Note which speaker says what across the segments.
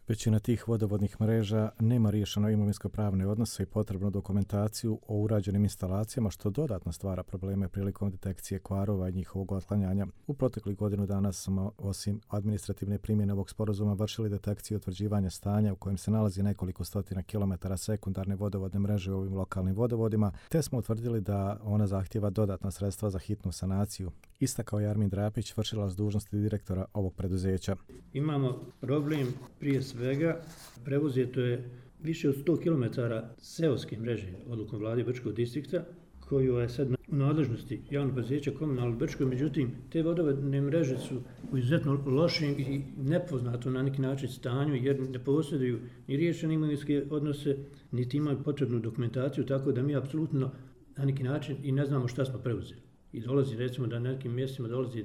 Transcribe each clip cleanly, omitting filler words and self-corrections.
Speaker 1: Većina tih vodovodnih mreža nema riješeno imovinsko-pravne odnose i potrebnu dokumentaciju o urađenim instalacijama, što dodatno stvara probleme prilikom detekcije kvarova i njihovog otklanjanja. U proteklih godinu dana smo, osim administrativne primjene ovog sporazuma, vršili detekciju i utvrđivanja stanja u kojem se nalazi nekoliko stotina kilometara sekundarne vodovodne mreže u ovim lokalnim vodovodima, te smo utvrdili da ona zahtijeva dodatna sredstva za hitnu sanaciju. Istakao je Armin Drapić, vršilac dužnosti direktora ovog preduzeća.
Speaker 2: Imamo problem prije svega, prevuzeto je više od 100 km seoske mreže odlukom vlade Brčkog distrikta, koju je sad u nadležnosti javnog preduzeća Komunalno Brčko, međutim te vodovodne mreže su u izuzetno lošem i nepoznatom na neki način stanju, jer ne posjeduju ni riješene imovinske odnose, niti imaju potrebnu dokumentaciju, tako da mi apsolutno na neki način i ne znamo šta smo preuzeli. I dolazi, recimo, da na nekim mjestima dolazi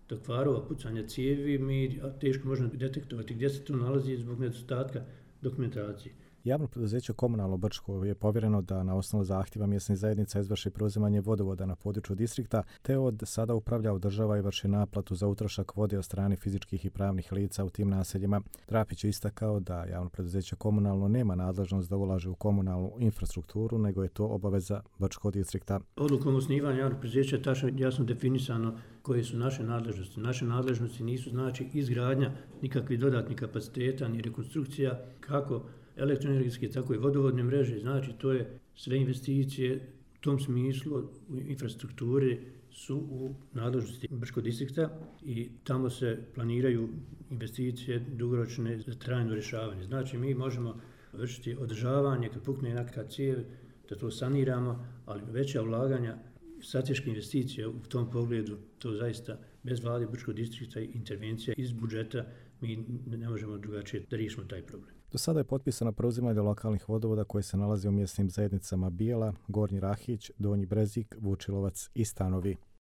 Speaker 2: do kvarova, pucanja cijevi, mi teško možemo detektovati gdje se to nalazi zbog nedostatka dokumentacije.
Speaker 1: Javno preduzeće Komunalno Brčko je povjereno da na osnovu zahtjeva mjesnih zajednica izvrši preuzimanje vodovoda na području distrikta, te od sada upravlja, održava i vrši naplatu za utrošak vode od strane fizičkih i pravnih lica u tim naseljima. Drapić je istakao da javno preduzeće Komunalno nema nadležnost da ulaže u komunalnu infrastrukturu, nego je to obaveza Brčkog distrikta.
Speaker 2: Odlukom osnivanja javnog preduzeća je jasno definisano koje su naše nadležnosti. Naše nadležnosti nisu znači izgradnja nikakvih dodatnih kapaciteta ni rekonstrukcija kako elektroenergetske, tako i vodovodne mreže, znači to je sve investicije u tom smislu u infrastrukturi su u nadležnosti Brčkog distrikta i tamo se planiraju investicije dugoročne za trajno rješavanje. Znači mi možemo vršiti održavanje kad pukne neka cijev, da to saniramo, ali veća ulaganja, strateške investicije u tom pogledu, to zaista bez vlade Brčkog distrikta i intervencija iz budžeta mi ne možemo drugačije da riješimo taj problem.
Speaker 1: Do sada je potpisano preuzimanje lokalnih vodovoda koje se nalaze u mjesnim zajednicama Bijela, Gornji Rahić, Donji Brezik, Vučilovac i Stanovi.